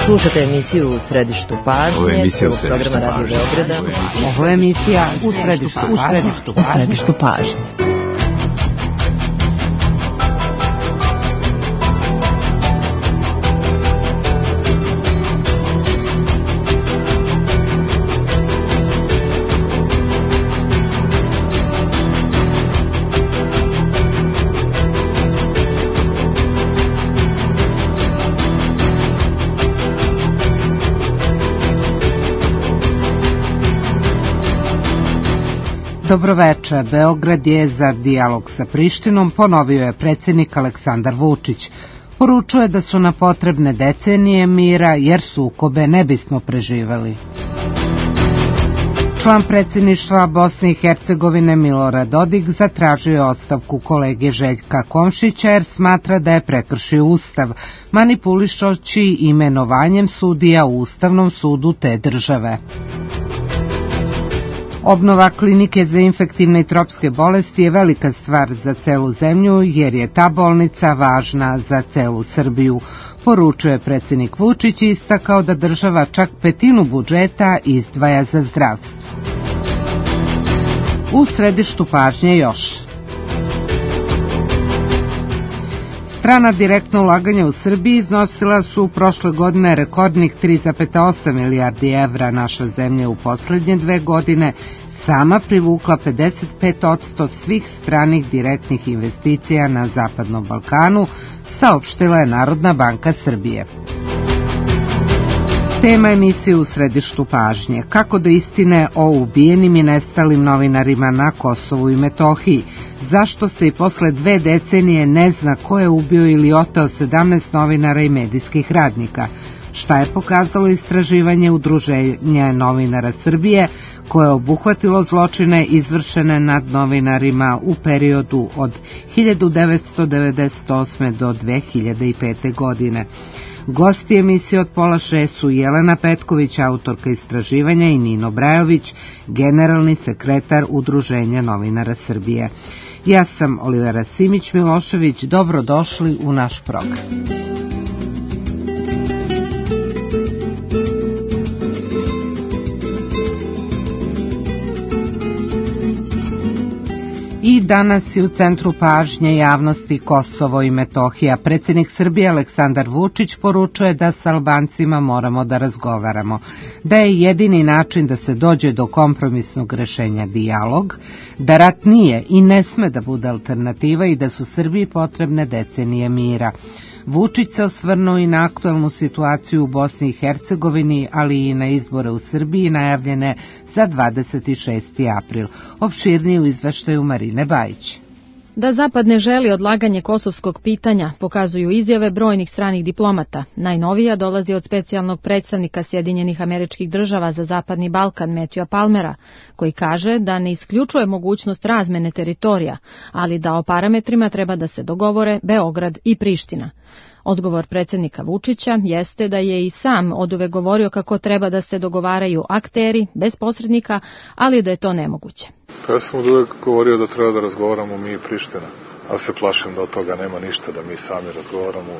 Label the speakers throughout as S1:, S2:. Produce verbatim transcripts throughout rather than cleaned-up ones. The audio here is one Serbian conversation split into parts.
S1: Slušate emisiju U središtu pažnje.
S2: Ovo je emisija U
S1: središtu pažnje.
S3: Ovo je emisija U središtu pažnje. U središtu pažnje. Dobroveče, Beograd je za dijalog sa Prištinom, ponovio je predsjednik Aleksandar Vučić. Poručuje da su na potrebne decenije mira, jer sukobe ne bismo preživeli. Član predsjedništva Bosne i Hercegovine Milorad Dodik zatražio je ostavku kolege Željka Komšića jer smatra da je prekršio Ustav, manipulišući imenovanjem sudija u Ustavnom sudu te države. Obnova klinike za infektivne i tropske bolesti je velika stvar za celu zemlju jer je ta bolnica važna za celu Srbiju, poručuje predsjednik Vučić i istakao da država čak petinu budžeta izdvaja za zdravstvo. U središtu pažnje još. Strana direktna ulaganja u Srbiji iznosila su prošle godine rekordnih tri zarez osam milijardi evra. Naša zemlja u posljednje dve godine sama privukla pedeset pet posto svih stranih direktnih investicija na Zapadnom Balkanu, saopštila je Narodna banka Srbije. Tema emisije U središtu pažnje. Kako do istine o ubijenim i nestalim novinarima na Kosovu i Metohiji? Zašto se i posle dve decenije ne zna ko je ubio ili oteo sedamnaest novinara i medijskih radnika? Šta je pokazalo istraživanje Udruženja novinara Srbije koje je obuhvatilo zločine izvršene nad novinarima u periodu od hiljadu devetsto devedeset osme do dve hiljade pete. godine? Gosti emisije od pola šest su Jelena Petković, autorka istraživanja, i Nino Brajović, generalni sekretar Udruženja novinara Srbije. Ja sam Olivera Simić-Milošević, dobrodošli u naš program. I danas je u centru pažnje javnosti Kosovo i Metohija. Predsjednik Srbije Aleksandar Vučić poručuje da s Albancima moramo da razgovaramo, da je jedini način da se dođe do kompromisnog rešenja dijalog, da rat nije i ne sme da bude alternativa i da su Srbiji potrebne decenije mira. Vučić se osvrnuo i na aktuelnu situaciju u Bosni i Hercegovini, ali i na izbore u Srbiji najavljene za dvadeset šesti april. Opširnije u izveštaju Marine Bajić.
S4: Da Zapad ne želi odlaganje kosovskog pitanja pokazuju izjave brojnih stranih diplomata. Najnovija dolazi od specijalnog predstavnika Sjedinjenih Američkih Država za Zapadni Balkan Matthewa Palmera, koji kaže da ne isključuje mogućnost razmene teritorija, ali da o parametrima treba da se dogovore Beograd i Priština. Odgovor predsjednika Vučića jeste da je i sam oduvek govorio kako treba da se dogovaraju akteri bez posrednika, ali da je to nemoguće.
S5: Pa ja sam oduvek govorio da treba da razgovaramo mi i Priština, ali se plašim da od toga nema ništa, da mi sami razgovaramo.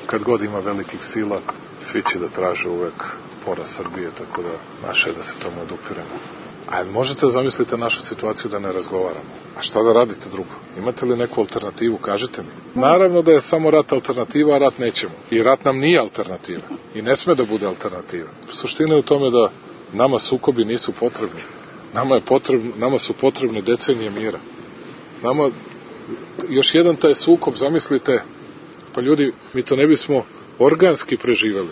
S5: Kad god ima velikih sila, svi će da traže uvek poraz Srbije, tako da naše je da se tomu odupiremo. A možete da zamislite našu situaciju da ne razgovaramo? A šta da radite drugo? Imate li neku alternativu? Kažite mi. Naravno da je samo rat alternativa, a rat nećemo. I rat nam nije alternativa. I ne sme da bude alternativa. Suština je u tome da nama sukobi nisu potrebni. Nama, je potrebno, nama su potrebne decenije mira. Nama, još jedan taj sukob, zamislite, pa ljudi, mi to ne bismo organski preživeli.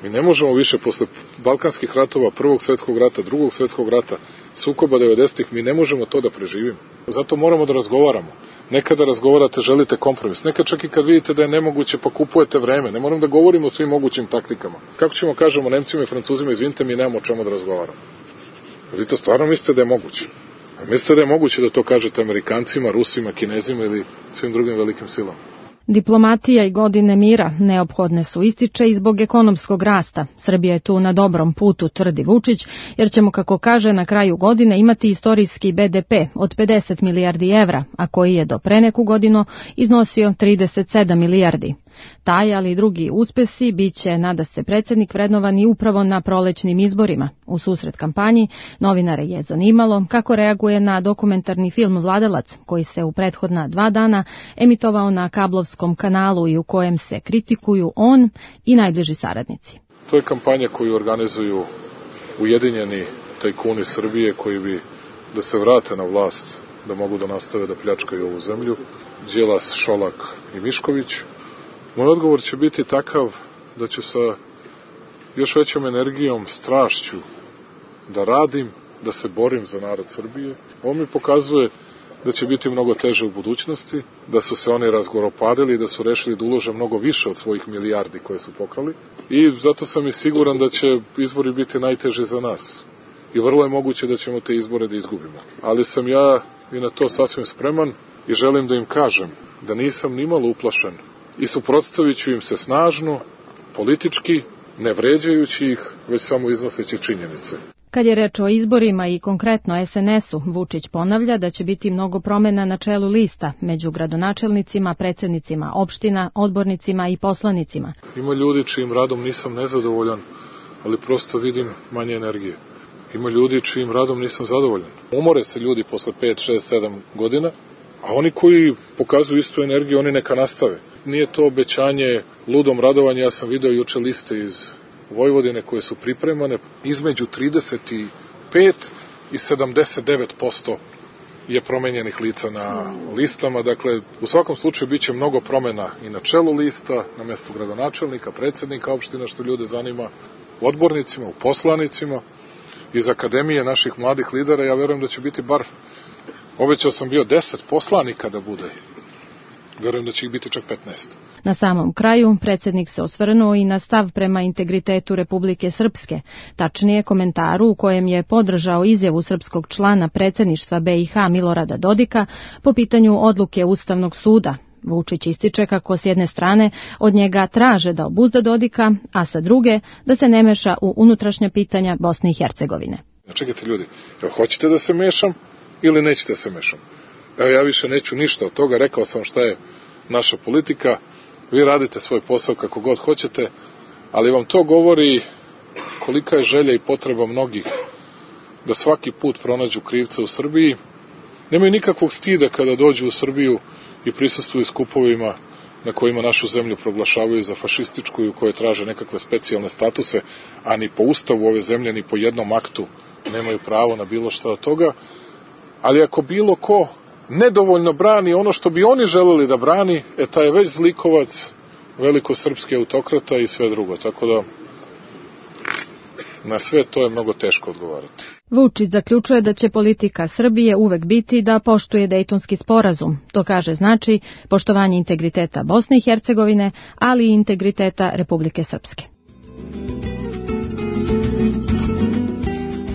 S5: Mi ne možemo više posle balkanskih ratova, prvog svjetskog rata, drugog svjetskog rata, sukoba devedesetih, mi ne možemo to da preživimo. Zato moramo da razgovaramo. Nekada razgovarate, želite kompromis. Nekad čak i kad vidite da je nemoguće, pa kupujete vreme. Ne moram da govorimo o svim mogućim taktikama. Kako ćemo kažemo Nemcima i Francuzima, izvinite, mi nemamo o čemu da razgovaramo. Vi to stvarno mislite da je moguće? A mislite da je moguće da to kažete Amerikancima, Rusima, Kinezima ili svim drugim velikim silama?
S4: Diplomatija i godine mira neophodne su, ističe, i zbog ekonomskog rasta. Srbija je tu na dobrom putu, tvrdi Vučić, jer ćemo, kako kaže, na kraju godine imati istorijski be de pe od pedeset milijardi evra, a koji je do pre neku godinu iznosio trideset sedam milijardi. Taj, ali i drugi uspesi biće, nada se predsjednik, vrednovani upravo na prolećnim izborima. U susret kampanji novinare je zanimalo kako reaguje na dokumentarni film Vladalac, koji se u prethodna dva dana emitovao na kablovskom kanalu i u kojem se kritikuju on i najbliži saradnici.
S5: To je kampanja koju organizuju ujedinjeni tajkuni Srbije koji bi da se vrate na vlast, da mogu da nastave da pljačkaju ovu zemlju, Đilas, Šolak i Mišković. Moj odgovor će biti takav da ću sa još većom energijom, strašću da radim, da se borim za narod Srbije. Ovo mi pokazuje da će biti mnogo teže u budućnosti, da su se oni razgoropadili i da su rešili da ulože mnogo više od svojih milijardi koje su pokrali. I zato sam i siguran da će izbori biti najteži za nas. I vrlo je moguće da ćemo te izbore da izgubimo. Ali sam ja i na to sasvim spreman i želim da im kažem da nisam nimalo uplašen i suprotstavit ću im se snažno, politički, ne vređajući ih, već samo iznoseći činjenice.
S4: Kad je reč o izborima i konkretno es en esu, Vučić ponavlja da će biti mnogo promena na čelu lista među gradonačelnicima, predsjednicima opština, odbornicima i poslanicima.
S5: Ima ljudi čijim radom nisam nezadovoljan, ali prosto vidim manje energije. Ima ljudi čijim radom nisam zadovoljan. Umore se ljudi posle pet, šest, sedam godina, a oni koji pokazuju istu energiju, oni neka nastave. Nije to obećanje ludom radovanja, ja sam video juče liste iz Vojvodine koje su pripremane, između trideset pet i sedamdeset devet posto je promenjenih lica na listama. Dakle, u svakom slučaju bit će mnogo promena i na čelu lista, na mestu gradonačelnika, predsjednika opština, što ljude zanima, u odbornicima, u poslanicima, iz akademije naših mladih lidera. Ja verujem da će biti bar, obećao sam bio deset poslanika da bude. Verujem da će ih biti čak petnaest.
S4: Na samom kraju, predsjednik se osvrnuo i na stav prema integritetu Republike Srpske, tačnije komentaru u kojem je podržao izjavu srpskog člana predsjedništva be i ha Milorada Dodika po pitanju odluke Ustavnog suda. Vučić ističe kako s jedne strane od njega traže da obuzda Dodika, a sa druge da se ne meša u unutrašnja pitanja Bosne i Hercegovine.
S5: Čekajte ljudi, jel hoćete da se mešam ili nećete da se mešam? Evo, ja više neću ništa od toga, rekao sam šta je naša politika, vi radite svoj posao kako god hoćete, ali vam to govori kolika je želja i potreba mnogih da svaki put pronađu krivca u Srbiji. Nemaju nikakvog stida kada dođu u Srbiju i prisustvuju skupovima na kojima našu zemlju proglašavaju za fašističku i u kojoj traže nekakve specijalne statuse, a ni po ustavu ove zemlje, ni po jednom aktu nemaju pravo na bilo šta od toga. Ali ako bilo ko nedovoljno brani ono što bi oni želeli da brani, e taj je već zlikovac, velikosrpski autokrata i sve drugo. Tako da na sve to je mnogo teško odgovarati.
S4: Vučić zaključuje da će politika Srbije uvek biti da poštuje Dejtonski sporazum. To kaže znači poštovanje integriteta Bosne i Hercegovine, ali i integriteta Republike Srpske.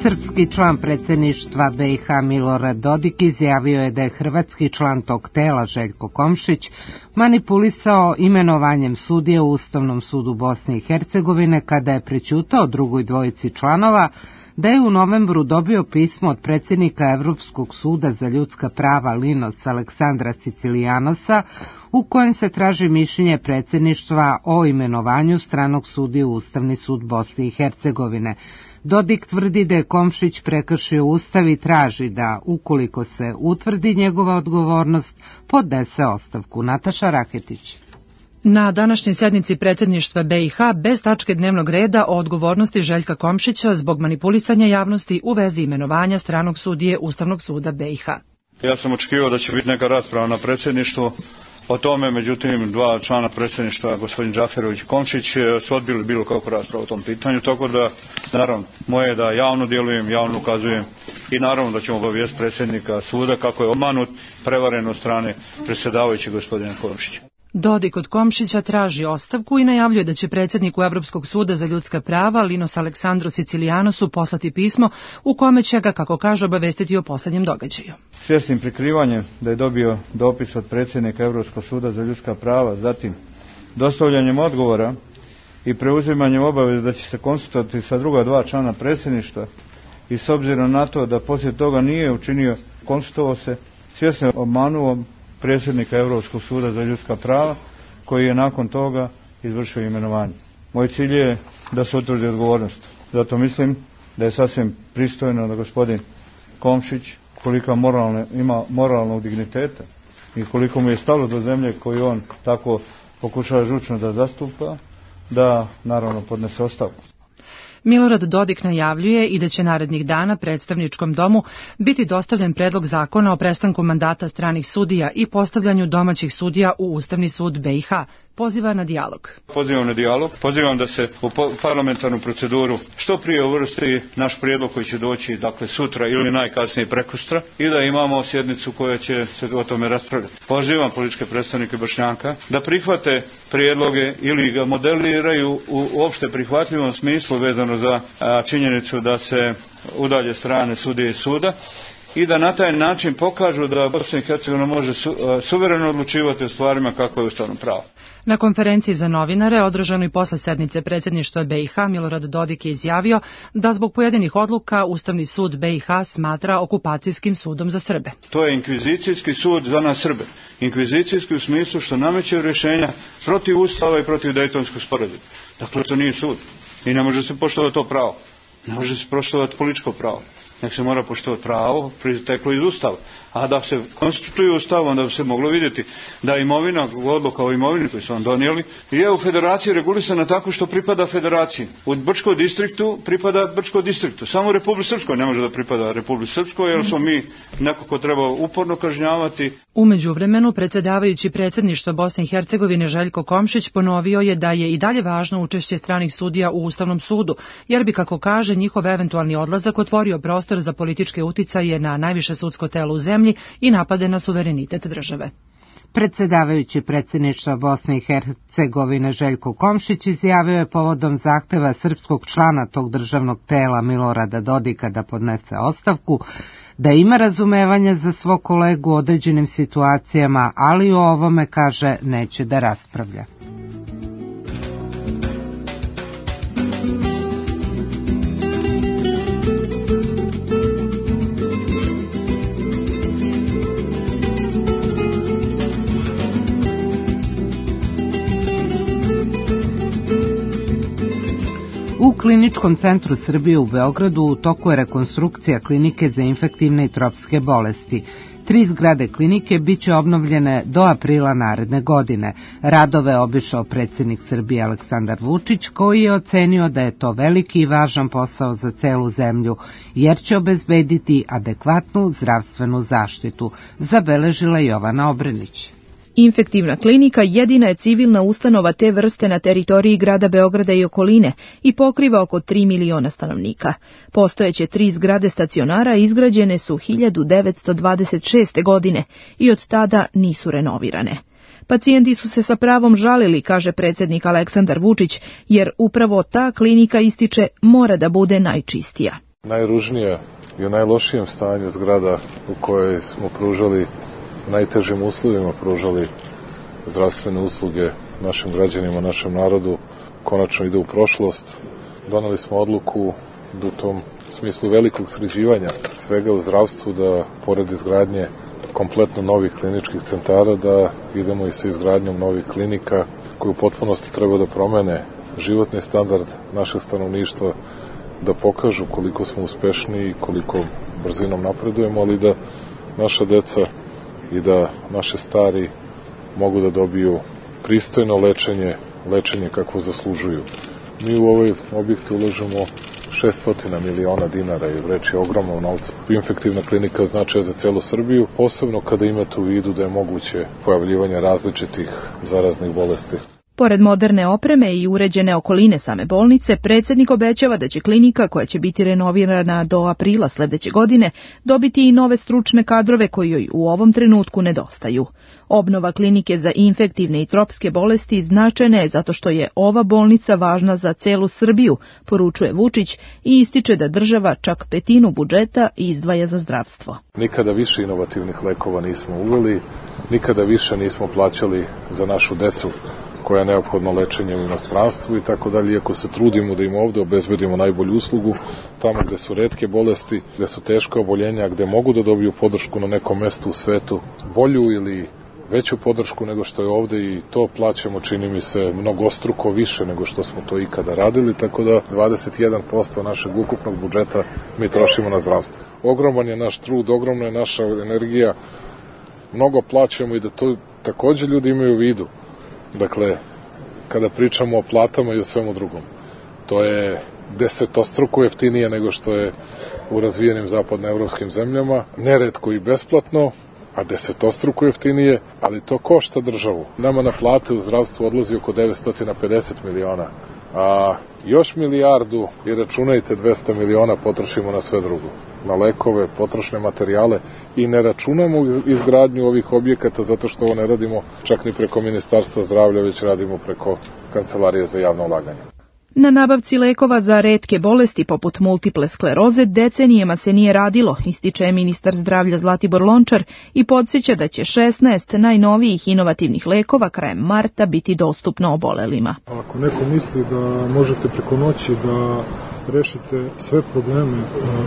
S3: Srpski član predsjedništva be i ha Milorad Dodik izjavio je da je hrvatski član tog tela Željko Komšić manipulisao imenovanjem sudije u Ustavnom sudu Bosne i Hercegovine kada je prećutao drugoj dvojici članova da je u novembru dobio pismo od predsjednika Evropskog suda za ljudska prava Linos Aleksandra Sicilijanosa u kojem se traži mišljenje predsjedništva o imenovanju stranog sudije u Ustavni sud Bosne i Hercegovine. Dodik tvrdi da je Komšić prekršio Ustav i traži da, ukoliko se utvrdi njegova odgovornost, podnese ostavku. Nataša Raketić.
S2: Na današnjoj sednici predsjedništva be i ha bez tačke dnevnog reda o odgovornosti Željka Komšića zbog manipulisanja javnosti u vezi imenovanja stranog sudije Ustavnog suda be i ha.
S6: Ja sam očekivao da će biti neka rasprava na predsjedništvu o tome, međutim dva člana predsjedništva, gospodin Džaferović i Komšić, su odbili bilo kakvu raspravu o tom pitanju, tako da, naravno, moje je da javno djelujem, javno ukazujem i naravno da ćemo obavijestiti predsjednika suda kako je obmanut, prevaren od strane predsjedavajućeg gospodina Komšića.
S2: Dodik od Komšića traži ostavku i najavljuje da će predsjedniku Evropskog suda za ljudska prava Linos Aleksandru Sicilijanosu poslati pismo u kome će ga, kako kaže, obavestiti o posljednjem događaju.
S6: Svjesnim prikrivanjem da je dobio dopis od predsjednika Evropskog suda za ljudska prava, zatim dostavljanjem odgovora i preuzimanjem obaveze da će se konsultovati sa druga dva člana predsjedništva i s obzirom na to da poslije toga nije učinio, konsultovao se, svjesno obmanuo predsjednika Europskog suda za ljudska prava, koji je nakon toga izvršio imenovanje. Moj cilj je da se utvrdi odgovornost. Zato mislim da je sasvim pristojno da gospodin Komšić, koliko moralne, ima moralnog digniteta i koliko mu je stalo do zemlje koju on tako pokušava žučno da zastupa, da naravno podnese ostavku.
S2: Milorad Dodik najavljuje i da će narednih dana predstavničkom domu biti dostavljen predlog zakona o prestanku mandata stranih sudija i postavljanju domaćih sudija u Ustavni sud B i H. Poziva na dijalog.
S6: Pozivam na dijalog, pozivam da se u parlamentarnu proceduru što prije uvrsti naš prijedlog koji će doći dakle sutra ili najkasnije prekosutra i da imamo sjednicu koja će se o tome raspravljati. Pozivam političke predstavnike Bošnjaka da prihvate prijedloge ili ga modeliraju u opšte prihvatljivom smislu vezano za a, činjenicu da se udalje strane sudije i suda i da na taj način pokažu da Bosna i Hercegovina može su, a, suvereno odlučivati o stvarima kako je ustavno pravo.
S2: Na konferenciji za novinare, održanoj posle sednice predsjedništva B i H, Milorad Dodik je izjavio da zbog pojedinih odluka Ustavni sud B i H smatra okupacijskim sudom za Srbe.
S6: To je inkvizicijski sud za nas Srbe. Inkvizicijski u smislu što nameće rješenja protiv Ustava i protiv Dejtonskog sporazuma. Dakle, to nije sud. I ne može se poštovati to pravo. Ne može se poštovati političko pravo. Nek se mora poštovati pravo proisteklo iz Ustava. A da se konstituju Ustav, onda bi se moglo vidjeti da imovina, odluka o imovini koju su vam donijeli, je u federaciji regulisana tako što pripada federaciji. U Brčkom distriktu pripada Brčkom distriktu. Samo u Republici Srpskoj ne može da pripada Republici Srpskoj, jer smo mi neko ko treba uporno kažnjavati.
S2: U međuvremenu, predsjedavajući predsjedništva Bosne i Hercegovine Željko Komšić ponovio je da je i dalje važno učešće stranih sudija u Ustavnom sudu, jer bi, kako kaže, njihov eventualni odlazak otvorio prostor za političke uticaje na najviše sudsko telo u zemlji i napade na suverenitet države.
S3: Predsjedavajući predsjedništva Bosne i Hercegovine Željko Komšić izjavio je povodom zahteva srpskog člana tog državnog tela Milorada Dodika da podnese ostavku, da ima razumevanja za svog kolegu u određenim situacijama, ali o ovome, kaže, neće da raspravlja. U Kliničkom centru Srbije u Beogradu u toku je rekonstrukcija klinike za infektivne i tropske bolesti. Tri zgrade klinike biće obnovljene do aprila naredne godine. Radove je obišao predsjednik Srbije Aleksandar Vučić, koji je ocenio da je to veliki i važan posao za celu zemlju, jer će obezbediti adekvatnu zdravstvenu zaštitu, zabeležila Jovana Obrenić.
S7: Infektivna klinika jedina je civilna ustanova te vrste na teritoriji grada Beograda i okoline i pokriva oko tri miliona stanovnika. Postojeće tri zgrade stacionara izgrađene su hiljadu devetsto dvadeset šeste. godine i od tada nisu renovirane. Pacijenti su se sa pravom žalili, kaže predsjednik Aleksandar Vučić, jer upravo ta klinika, ističe, mora da bude najčistija.
S5: Najružnija i u najlošijem stanju zgrada u kojoj smo pružali najtežim uslovima pružali zdravstvene usluge našim građanima, našem narodu, konačno ide u prošlost. Doneli smo odluku da u tom smislu velikog sređivanja svega u zdravstvu, da pored izgradnje kompletno novih kliničkih centara, da idemo i sa izgradnjom novih klinika koje u potpunosti treba da promene životni standard našeg stanovništva, da pokažu koliko smo uspešni i koliko brzinom napredujemo, ali da naša deca i da naše stari mogu da dobiju pristojno lečenje, lečenje kakvo zaslužuju. Mi u ovaj objekt ulažemo šesto miliona dinara i reč je ogromno novca. Infektivna klinika značaja za celu Srbiju, posebno kada imate u vidu da je moguće pojavljivanje različitih zaraznih bolesti.
S7: Pored moderne opreme i uređene okoline same bolnice, predsjednik obećava da će klinika, koja će biti renovirana do aprila sledeće godine, dobiti i nove stručne kadrove koji joj u ovom trenutku nedostaju. Obnova klinike za infektivne i tropske bolesti značajna je zato što je ova bolnica važna za celu Srbiju, poručuje Vučić i ističe da država čak petinu budžeta izdvaja za zdravstvo.
S5: Nikada više inovativnih lekova nismo uveli, nikada više nismo plaćali za našu decu koja je neophodno lečenje u inostranstvu i tako dalje, iako se trudimo da im ovde obezbedimo najbolju uslugu, tamo gde su retke bolesti, gde su teška oboljenja, gde mogu da dobiju podršku na nekom mestu u svetu, bolju ili veću podršku nego što je ovde i to plaćamo, čini mi se, mnogostruko više nego što smo to ikada radili, tako da dvadeset jedan posto našeg ukupnog budžeta mi trošimo na zdravstvo. Ogroman je naš trud, ogromna je naša energija, mnogo plaćamo i da to takođe ljudi imaju u vidu. Dakle, kada pričamo o platama i o svemu drugom, to je desetostruko jeftinije nego što je u razvijenim zapadnoevropskim zemljama, neretko i besplatno, a desetostruko jeftinije, ali to košta državu. Nama na plate u zdravstvu odlazi oko devetsto pedeset miliona, a još milijardu i računajte dvesta miliona potrošimo na sve drugo, na lekove, potrošne materijale i ne računamo izgradnju ovih objekata zato što ovo ne radimo čak ni preko Ministarstva zdravlja, već radimo preko Kancelarije za javno ulaganje.
S7: Na nabavci lekova za retke bolesti poput multiple skleroze decenijama se nije radilo, ističe ministar zdravlja Zlatibor Lončar i podsjeća da će šesnaest najnovijih inovativnih lekova krajem marta biti dostupno obolelima.
S8: Ako neko misli da možete preko noći da rešite sve probleme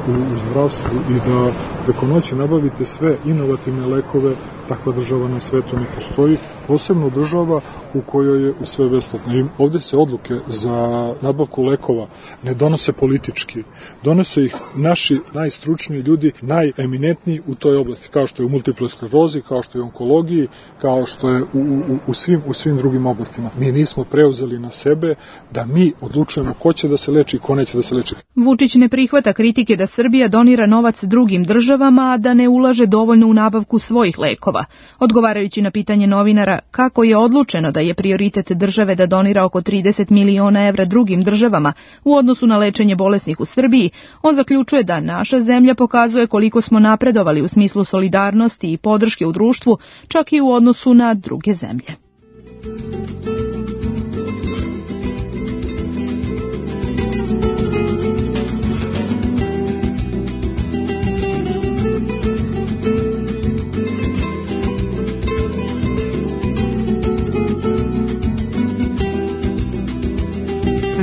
S8: u, u zdravstvu i da preko noći nabavite sve inovativne lekove, takva država na svetu ne postoji, posebno država u kojoj je sve besplatno. I ovde se odluke za nabavku lekova ne donose politički, donose ih naši najstručniji ljudi, najeminentniji u toj oblasti, kao što je u multiple sklerozi, kao što je u onkologiji, kao što je u, u, u, svim, u svim drugim oblastima. Mi nismo preuzeli na sebe da mi odlučujemo ko će da se leči i ko neće da se leči.
S7: Vučić ne prihvata kritike da Srbija donira novac drugim državama, a da ne ulaže dovoljno u nabavku svojih lekova. Odgovarajući na pitanje novinara kako je odlučeno da je prioritet države da donira oko trideset miliona evra drugim državama u odnosu na lečenje bolesnih u Srbiji, on zaključuje da naša zemlja pokazuje koliko smo napredovali u smislu solidarnosti i podrške u društvu, čak i u odnosu na druge zemlje.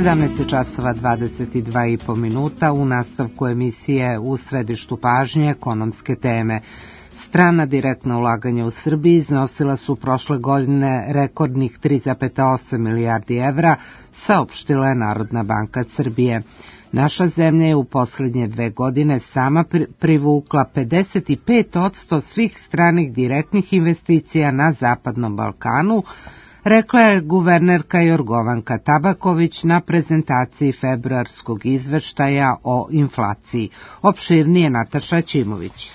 S3: sedamnaest časova dvadeset dva i po minuta u nastavku emisije U središtu pažnje ekonomske teme. Strana direktna ulaganja u Srbiji iznosila su prošle godine rekordnih tri zarez osam milijardi evra, saopštila je Narodna banka Srbije. Naša zemlja je u poslednje dve godine sama privukla pedeset pet posto svih stranih direktnih investicija na Zapadnom Balkanu, rekla je guvernerka Jorgovanka Tabaković na prezentaciji februarskog izveštaja o inflaciji. Opširnije Nataša Ćimović.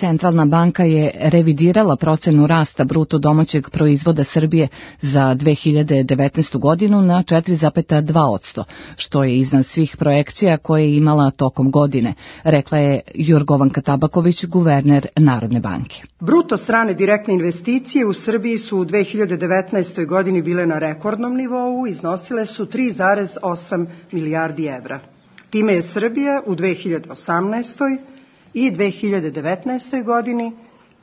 S9: Centralna banka je revidirala procenu rasta bruto domaćeg proizvoda Srbije za dve hiljade devetnaestu godinu na četiri zarez dva posto, što je iznad svih projekcija koje je imala tokom godine, rekla je Jorgovanka Tabaković, guverner Narodne banke.
S10: Bruto strane direktne investicije u Srbiji su u dve hiljade devetnaestoj godini bile na rekordnom nivou, iznosile su tri zarez osam milijardi evra. Time je Srbija u dve hiljade osamnaestoj i dve hiljade devetnaestoj godini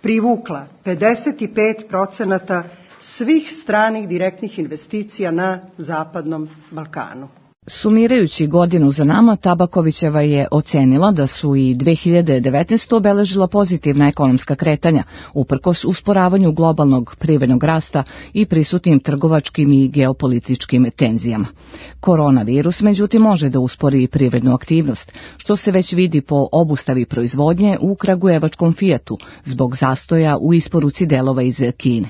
S10: privukla pedeset pet procenata svih stranih direktnih investicija na Zapadnom Balkanu.
S9: Sumirajući godinu za nama, Tabakovićeva je ocenila da su i dve hiljade devetnaestu. obeležila pozitivna ekonomska kretanja, uprkos usporavanju globalnog privrednog rasta i prisutnim trgovačkim i geopolitičkim tenzijama. Koronavirus, međutim, može da uspori privrednu aktivnost, što se već vidi po obustavi proizvodnje u kragujevačkom Fijatu zbog zastoja u isporuci delova iz Kine.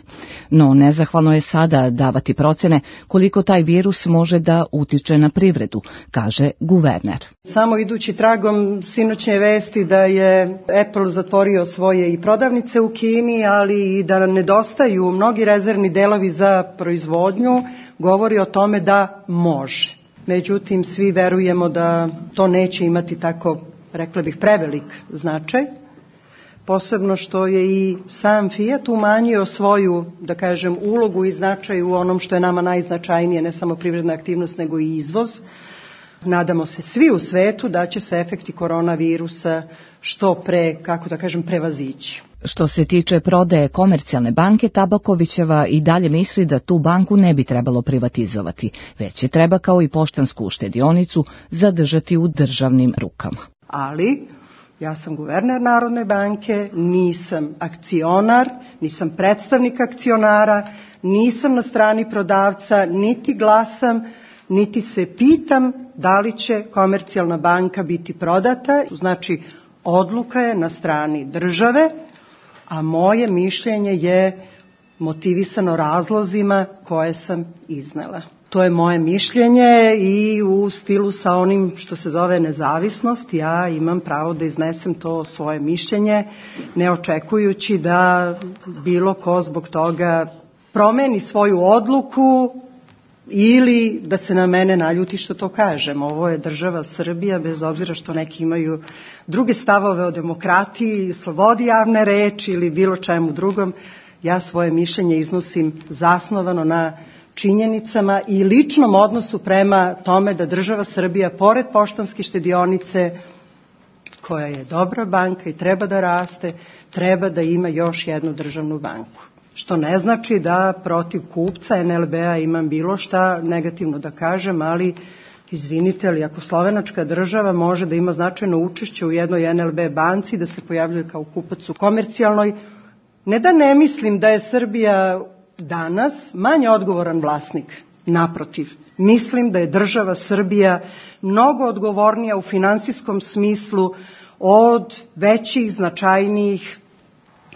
S9: No, nezahvalno je sada davati procene koliko taj virus može da utiče na privredu. privredu, kaže guverner.
S10: Samo idući tragom sinoćnje vesti da je Apple zatvorio svoje i prodavnice u Kini, ali i da nedostaju mnogi rezervni delovi za proizvodnju, govori o tome da može. Međutim, svi verujemo da to neće imati tako, rekla bih, prevelik značaj. Posebno što je i sam Fiat umanjio svoju, da kažem, ulogu i značaj u onom što je nama najznačajnije, ne samo privredna aktivnost, nego i izvoz. Nadamo se svi u svetu da će se efekti koronavirusa što pre, kako da kažem, prevazići.
S9: Što se tiče prodaje Komercijalne banke, Tabakovićeva i dalje misli da tu banku ne bi trebalo privatizovati, već je treba kao i Poštansku štedionicu zadržati u državnim rukama.
S10: Ali Ja sam guverner Narodne banke, nisam akcionar, nisam predstavnik akcionara, nisam na strani prodavca, niti glasam, niti se pitam da li će Komercijalna banka biti prodata. Znači, odluka je na strani države, a moje mišljenje je motivisano razlozima koje sam iznela. To je moje mišljenje i u stilu sa onim što se zove nezavisnost, ja imam pravo da iznesem to svoje mišljenje, ne očekujući da bilo ko zbog toga promeni svoju odluku ili da se na mene naljuti što to kažem. Ovo je država Srbija, bez obzira što neki imaju druge stavove o demokratiji, slobodi javne reči ili bilo čemu drugom. Ja svoje mišljenje iznosim zasnovano na činjenicama i ličnom odnosu prema tome da država Srbija, pored Poštanske štedionice, koja je dobra banka i treba da raste, treba da ima još jednu državnu banku. Što ne znači da protiv kupca en el be a imam bilo šta negativno da kažem, ali izvinite, ali ako slovenačka država može da ima značajno učešće u jednoj en el be banci, da se pojavljuje kao kupac u Komercijalnoj, ne da ne mislim da je Srbija danas manje odgovoran vlasnik. Naprotiv, mislim da je država Srbija mnogo odgovornija u finansijskom smislu od većih, značajnijih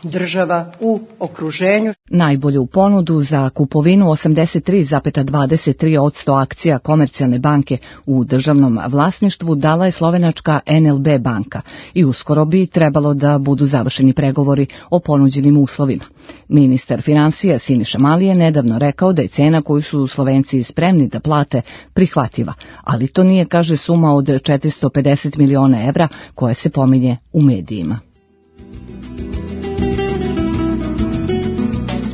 S10: država u okruženju.
S9: Najbolju ponudu za kupovinu osamdeset tri zarez dvadeset tri posto akcija Komercijalne banke u državnom vlasništvu dala je slovenačka en el be banka i uskoro bi trebalo da budu završeni pregovori o ponuđenim uslovima. Ministar finansija Siniša Mali je nedavno rekao da je cena koju su Slovenci spremni da plate prihvatljiva, ali to nije, kaže, suma od četiristo pedeset miliona evra koja se pominje u medijima.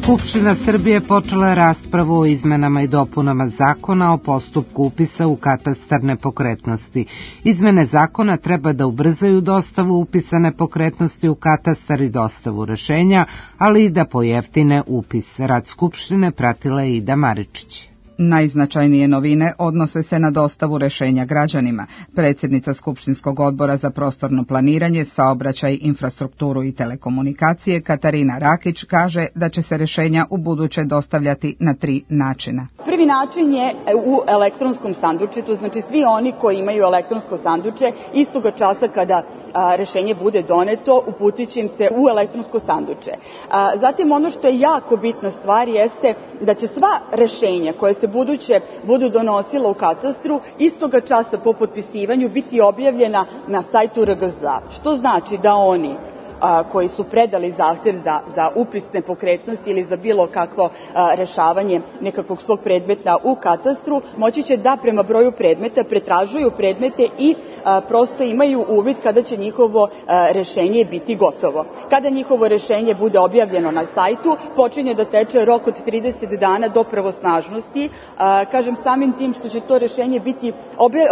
S3: Skupština Srbije počela je raspravu o izmenama i dopunama zakona o postupku upisa u katastar nepokretnosti. Izmene zakona treba da ubrzaju dostavu upisa nepokretnosti u katastar i dostavu rešenja, ali i da pojeftine upis. Rad Skupštine pratila je Ida Maričić.
S11: Najznačajnije novine odnose se na dostavu rešenja građanima. Predsjednica Skupštinskog odbora za prostorno planiranje, saobraćaj, infrastrukturu i telekomunikacije Katarina Rakić kaže da će se rešenja u buduće dostavljati na tri načina.
S12: Prvi način je u elektronskom sandučetu, znači svi oni koji imaju elektronsko sanduče, istoga časa kada a, rešenje bude doneto, uputit će im se u elektronsko sanduče. A, zatim ono što je jako bitna stvar jeste da će sva rešenja koje se buduće budu donosila u katastru, istoga časa po potpisivanju biti objavljena na sajtu er ge zet a, što znači da oni a, koji su predali zahtev za, za upis nepokretnosti ili za bilo kakvo a, rešavanje nekakvog svog predmeta u katastru, moći će da prema broju predmeta pretražuju predmete i a, prosto imaju uvid kada će njihovo a, rešenje biti gotovo. Kada njihovo rešenje bude objavljeno na sajtu, počinje da teče rok od trideset dana do pravosnažnosti. A, kažem, samim tim što će to rešenje biti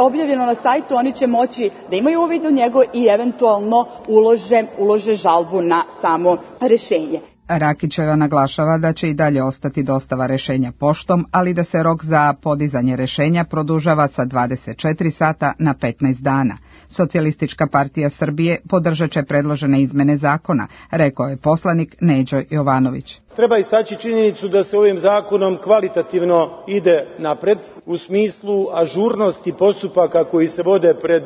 S12: objavljeno na sajtu, oni će moći da imaju uvid u njego i eventualno ulože, ulože žalbu na samo rešenje.
S11: Rakićeva naglašava da će i dalje ostati dostava rešenja poštom, ali da se rok za podizanje rešenja produžava sa dvadeset četiri sata na petnaest dana. Socijalistička partija Srbije podržat će predložene izmene zakona, rekao je poslanik Neđo Jovanović.
S13: Treba istaći činjenicu da se ovim zakonom kvalitativno ide napred u smislu ažurnosti postupaka koji se vode pred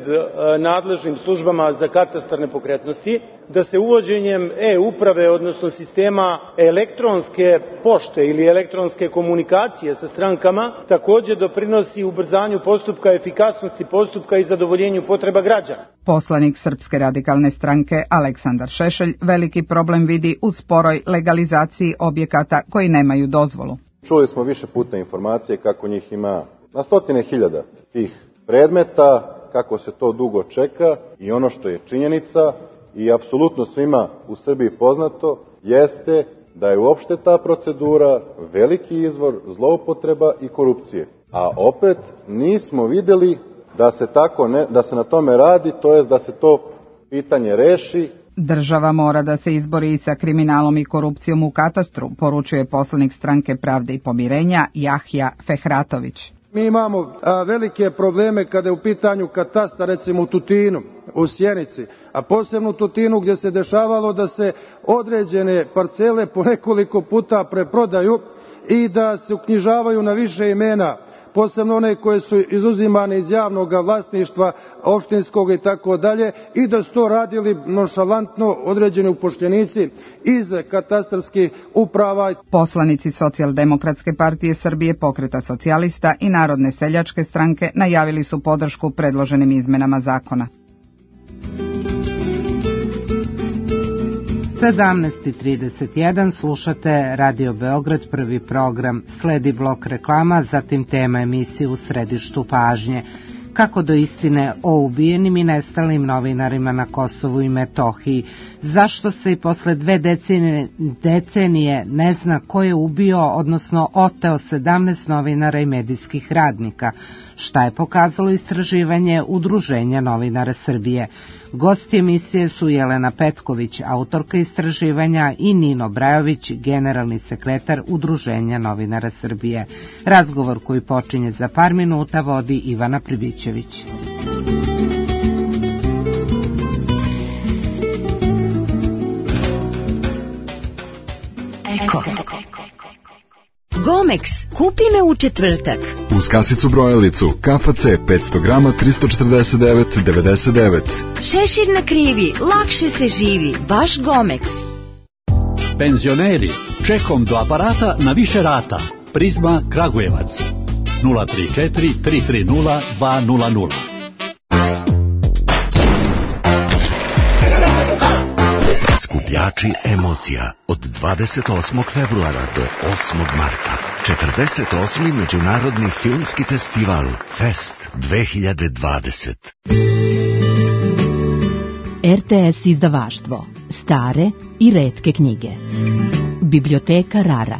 S13: nadležnim službama za katastar nepokretnosti, da se uvođenjem e-uprave, odnosno sistema elektronske pošte ili elektronske komunikacije sa strankama, takođe doprinosi ubrzanju postupka, efikasnosti postupka i zadovoljenju potreba građana.
S11: Poslanik Srpske radikalne stranke Aleksandar Šešelj veliki problem vidi u sporoj legalizaciji objekata koji nemaju dozvolu.
S14: Čuli smo više puta informacije kako njih ima na stotine hiljada tih predmeta, kako se to dugo čeka i ono što je činjenica i apsolutno svima u Srbiji poznato jeste da je uopšte ta procedura veliki izvor zloupotreba i korupcije. A opet nismo videli da se tako ne, da se na tome radi, to jest da se to pitanje reši.
S11: Država mora da se izbori sa kriminalom i korupcijom u katastru, poručuje poslanik Stranke pravde i pomirenja Jahja Fehratović.
S13: Mi imamo a, velike probleme kada je u pitanju katastar, recimo u Tutinu. u Sjenici, a posebno u Tutinu gdje se dešavalo da se određene parcele po nekoliko puta preprodaju i da se uknjižavaju na više imena, posebno one koje su izuzimane iz javnog vlasništva, opštinskog i tako dalje, i da su to radili nonšalantno određeni upošljenici iz katastarskih uprava.
S11: Poslanici Socijaldemokratske partije Srbije, Pokreta socijalista i Narodne seljačke stranke najavili su podršku predloženim izmenama zakona.
S3: sedamnaest i trideset jedan slušate Radio Beograd, prvi program. Sledi blok reklama, zatim tema emisije U središtu pažnje. Kako do istine o ubijenim i nestalim novinarima na Kosovu i Metohiji? Zašto se i posle dve decenije, decenije ne zna ko je ubio, odnosno oteo sedamnaest novinara i medijskih radnika? Šta je pokazalo istraživanje Udruženja novinara Srbije? Gosti emisije su Jelena Petković, autorka istraživanja, i Nino Brajović, generalni sekretar Udruženja novinara Srbije. Razgovor koji počinje za par minuta vodi Ivana Pribićević.
S15: Eko. Gomex, kupi me u četvrtak.
S16: Uz kasicu brojalicu, K F C petsto grama tristo četrdeset devet devedeset devet.
S15: Šešir na krivi, lakše se živi, baš Gomex.
S17: Penzioneri, čekom do aparata na više rata. Prizma Kragujevac. nula tri četiri tri tri nula dva nula nula.
S18: Skupljači emocija od dvadeset osmog februara do osmog marta. četrdeset osmi Međunarodni filmski festival Fest dve hiljade dvadeset.
S19: R T S izdavaštvo. Stare i retke knjige. Biblioteka Rara.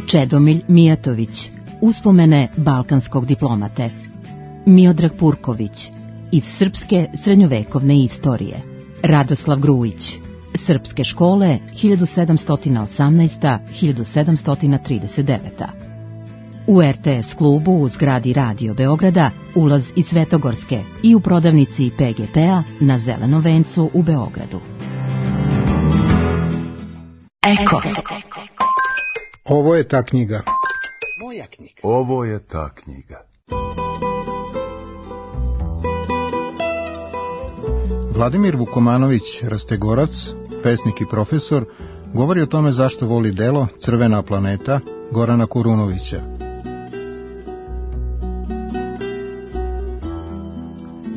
S19: Čedomilj Mijatović. Uspomene balkanskog diplomate. Miodrag Purković. Iz srpske srednjovekovne istorije. Radoslav Grujić. Srpske škole hiljadu sedamsto osamnaest do hiljadu sedamsto trideset devet. U R T S klubu u zgradi Radio Beograda ulaz iz Svetogorske i u prodavnici P G P-a na Zelenom vencu u Beogradu.
S15: Eko.
S20: Ovo je ta knjiga.
S18: Moja knjiga.
S21: Ovo je ta knjiga.
S20: Vladimir Vukomanović, rastegorac, pesnik i profesor, govori o tome zašto voli delo Crvena planeta Gorana Kurunovića.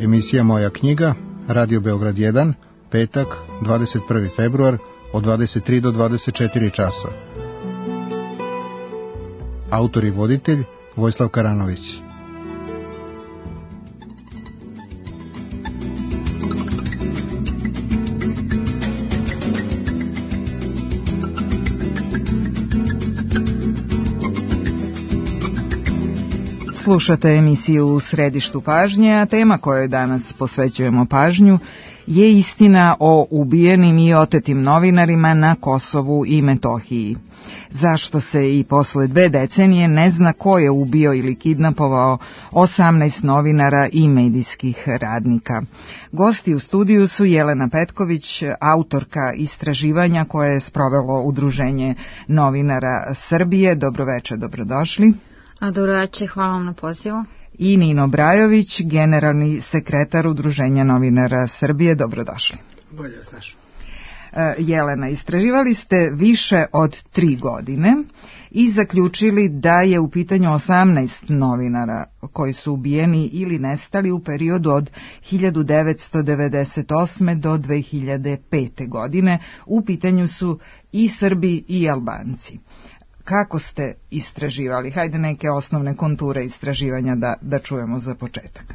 S20: Emisija Moja knjiga, Radio Beograd jedan, petak, dvadeset prvi februar, od dvadeset tri do dvadeset četiri časa. Autor i voditelj Vojislav Karanović.
S11: Slušate emisiju U središtu pažnje, a tema kojoj danas posvećujemo pažnju je istina o ubijenim i otetim novinarima na Kosovu i Metohiji. Zašto se i posle dve decenije ne zna ko je ubio ili kidnapovao osamnaest novinara i medijskih radnika? Gosti u studiju su Jelena Petković, autorka istraživanja koje je sprovelo Udruženje novinara Srbije. Dobroveče, dobrodošli.
S22: A dobroveče, hvala vam na pozivu.
S11: I Nino Brajović, generalni sekretar Udruženja novinara Srbije. Dobrodošli.
S23: Bolje vas našao.
S11: Jelena, istraživali ste više od tri godine i zaključili da je u pitanju osamnaest novinara koji su ubijeni ili nestali u periodu od hiljadu devetsto devedeset osme do dve hiljade pete. godine. U pitanju su i Srbi i Albanci. Kako ste istraživali? Hajde neke osnovne konture istraživanja da, da čujemo za početak.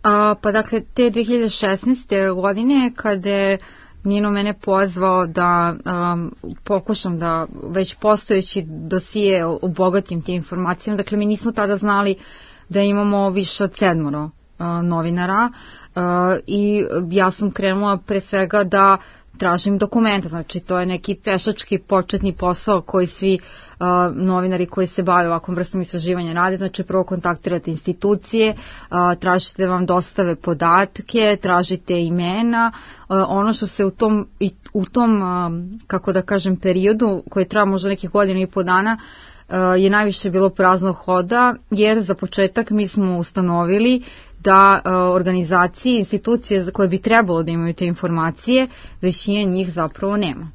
S22: A, pa dakle, te dve hiljade šesnaeste. godine kada je Nino mene pozvao da um, pokušam da već postojeći dosije obogatim tim informacijama. Dakle, mi nismo tada znali da imamo više od sedmoro uh, novinara uh, i ja sam krenula pre svega da tražim dokumenta, znači to je neki pešački početni posao koji svi uh, novinari koji se bave ovakvom vrstom istraživanja rade, znači prvo kontaktirate institucije, uh, tražite vam dostave podatke, tražite imena, uh, ono što se u tom, i, u tom uh, kako da kažem, periodu koji traja možda nekih godina i po dana uh, je najviše bilo praznog hoda, jer za početak mi smo ustanovili da uh, organizacije, institucije za koje bi trebalo da imaju te informacije, većina njih zapravo nema.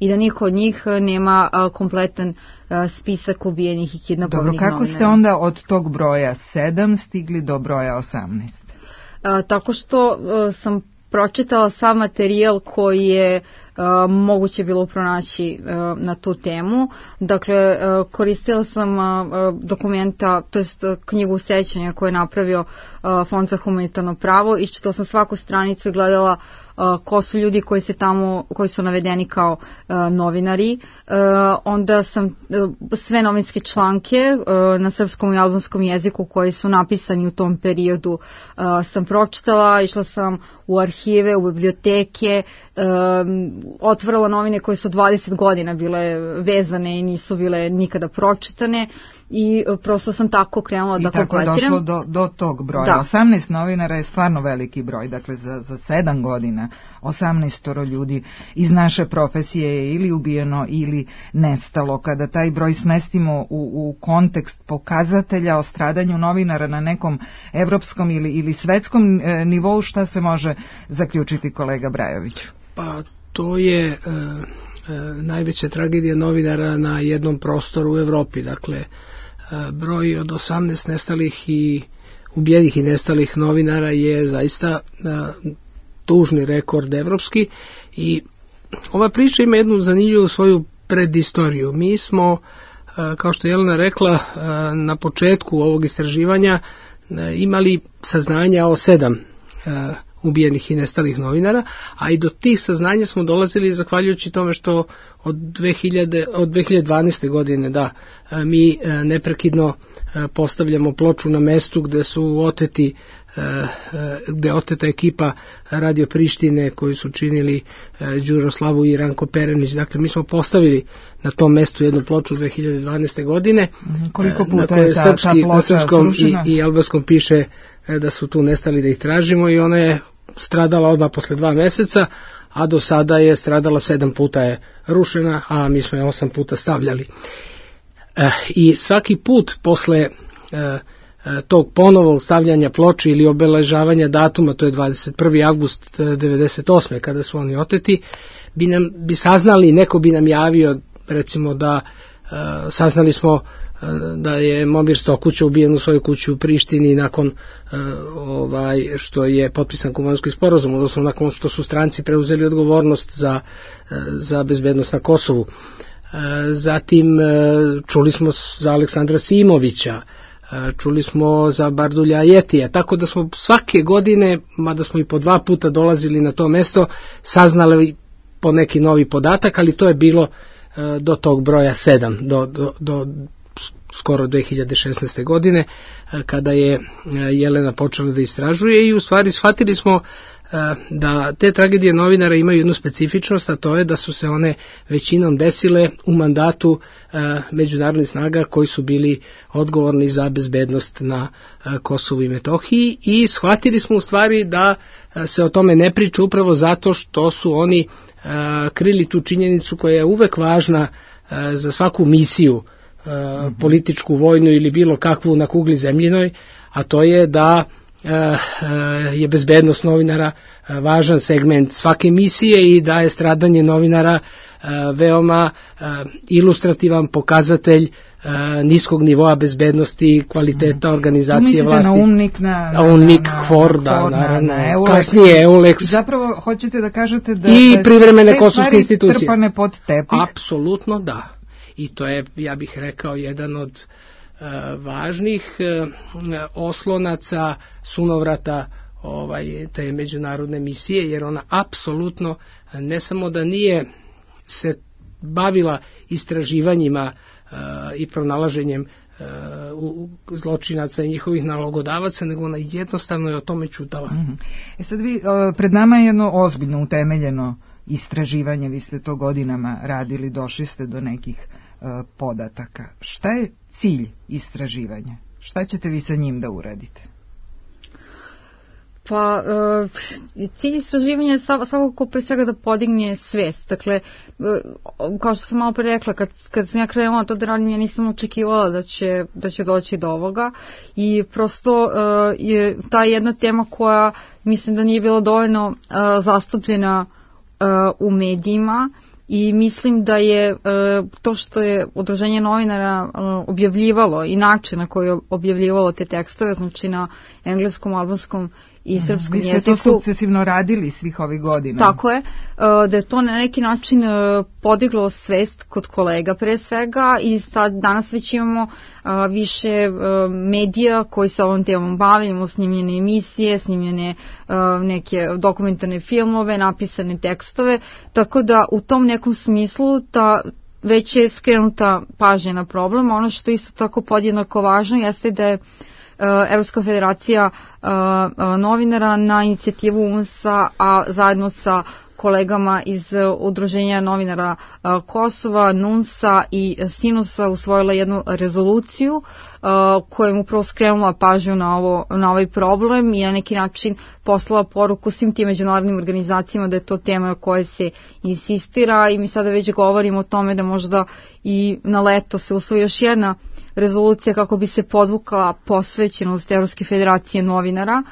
S22: I da niko od njih nema uh, kompletan uh, spisak ubijenih i kidnapovanih novinara.
S11: Dobro, kako ste onda od tog broja sedam stigli do broja osamnaest?
S22: Uh, tako što uh, sam pročitala sam materijal koji je uh, moguće bilo pronaći uh, na tu temu. Dakle, uh, koristila sam uh, dokumenta, to jest uh, knjigu sećanja koju je napravio uh, Fond za humanitarno pravo. Iščitala sam svaku stranicu i gledala uh, ko su ljudi koji se tamo, koji su navedeni kao uh, novinari. Uh, onda sam uh, sve novinske članke uh, na srpskom i albanskom jeziku koji su napisani u tom periodu uh, sam pročitala, išla sam u arhive, u biblioteke, um, otvorila novine koje su dvadeset godina bile vezane i nisu bile nikada pročitane i prosto sam tako krenula da kompletiram.
S11: I tako je došlo do, do tog broja. Da. osamnaest novinara je stvarno veliki broj, dakle za, za sedam godina osamnaest ljudi iz naše profesije je ili ubijeno ili nestalo. Kada taj broj smestimo u, u kontekst pokazatelja o stradanju novinara na nekom evropskom ili, ili svetskom e, nivou, šta se može zaključiti, kolega Brajović?
S1: Pa to je e, e, najveća tragedija novinara na jednom prostoru u Evropi. Dakle, e, broj od osamnaest nestalih i ubijenih i nestalih novinara je zaista e, tužni rekord evropski i ova priča ima jednu zanimljivu svoju predistoriju. Mi smo, e, kao što je Jelena rekla, e, na početku ovog istraživanja e, imali saznanja o sedam e, ubijenih i nestalih novinara, a i do tih saznanja smo dolazili zahvaljujući tome što od, dve hiljade, od dve hiljade dvanaeste. godine da mi neprekidno postavljamo ploču na mestu gde su oteti, gde je oteta ekipa Radio Prištine koju su činili Đuro Slavu i Ranko Perenić. Dakle, mi smo postavili na tom mestu jednu ploču dve hiljade dvanaeste. godine.
S11: Koliko puta
S1: na kojoj
S11: je ta,
S1: srpski,
S11: ta ploča
S1: na srpskom
S11: srušena?
S1: i, i albanskom piše da su tu nestali, da ih tražimo, i ona je stradala odmah posle dva meseca, a do sada je stradala sedam puta je rušena, a mi smo je osam puta stavljali. E, I svaki put posle e, e, tog ponovog stavljanja ploče ili obeležavanja datuma, to je dvadeset prvi avgust devedeset osme. kada su oni oteti, bi nam bi saznali, neko bi nam javio, recimo da e, saznali smo da je Momir Stokuća ubijen u svojoj kući u Prištini nakon uh, ovaj što je potpisan Kumanski sporazum, odnosno nakon što su stranci preuzeli odgovornost za, uh, za bezbednost na Kosovu. Uh, zatim uh, čuli smo za Aleksandra Simovića, uh, čuli smo za Bardulja Jetija, tako da smo svake godine, mada smo i po dva puta dolazili na to mesto, saznali po neki novi podatak, ali to je bilo uh, do tog broja sedam, do, do, do skoro dve hiljade šesnaeste. godine, kada je Jelena počela da istražuje, i u stvari shvatili smo da te tragedije novinara imaju jednu specifičnost, a to je da su se one većinom desile u mandatu međunarodnih snaga koji su bili odgovorni za bezbednost na Kosovu i Metohiji, i shvatili smo u stvari da se o tome ne priča upravo zato što su oni krili tu činjenicu koja je uvek važna za svaku misiju, političku, vojnu ili bilo kakvu na kugli zemljinoj, a to je da je bezbednost novinara važan segment svake misije i da je stradanje novinara veoma ilustrativan pokazatelj niskog nivoa bezbednosti, kvaliteta organizacije vlasti.
S11: Na UNMIK, na, na,
S1: UNMIK,
S11: na,
S1: KFOR, da,
S11: na,
S1: naravno,
S11: na Eulex.
S1: Kasnije Eulex.
S11: Zapravo hoćete da kažete da
S1: i
S11: da
S1: privremene kosovske institucije
S11: trpane pod tepih?
S1: Apsolutno da. I to je, ja bih rekao, jedan od uh, važnih uh, oslonaca, sunovrata ovaj, te međunarodne misije, jer ona apsolutno ne samo da nije se bavila istraživanjima uh, i pronalaženjem uh, zločinaca i njihovih nalogodavaca, nego ona jednostavno je o tome ćutala.
S11: Mm-hmm. E sad vi, uh, pred nama je jedno ozbiljno utemeljeno istraživanje, vi ste to godinama radili, došli ste do nekih uh, podataka. Šta je cilj istraživanja? Šta ćete vi sa njim da uradite?
S22: Pa, e, cilj istraživanja je svakako pre svega da podigne svest. Dakle, e, kao što sam malo pre rekla, kad, kad sam ja krenula to da radim, ja nisam očekivala da će, da će doći do ovoga i prosto e, je ta jedna tema koja mislim da nije bila dovoljno e, zastupljena e, u medijima i mislim da je e, to što je Udruženje novinara e, objavljivalo i način na koji je objavljivalo te tekstove, znači na engleskom, albanskom i srpskom jeziku. Vi ste to
S11: sukcesivno radili svih ovih godina.
S22: Tako je, da je to na neki način podiglo svest kod kolega pre svega i sad danas već imamo više medija koji se ovom temom bave, imamo snimljene emisije, snimljene neke dokumentarne filmove, napisane tekstove, tako da u tom nekom smislu ta već je skrenuta pažnja na problem. Ono što isto tako podjednako važno jeste da je Evropska federacija novinara na inicijativu U N S-a, a zajedno sa kolegama iz Udruženja novinara Kosova, N U N S-a i Sinusa usvojila jednu rezoluciju kojom upravo skrenula pažnju na, ovo, na ovaj problem i na neki način poslala poruku svim tim međunarodnim organizacijama da je to tema o kojoj se insistira i mi sada već govorimo o tome da možda i na leto se usvoji još jedna rezolucija kako bi se podvukla posvećenost Evropske federacije novinara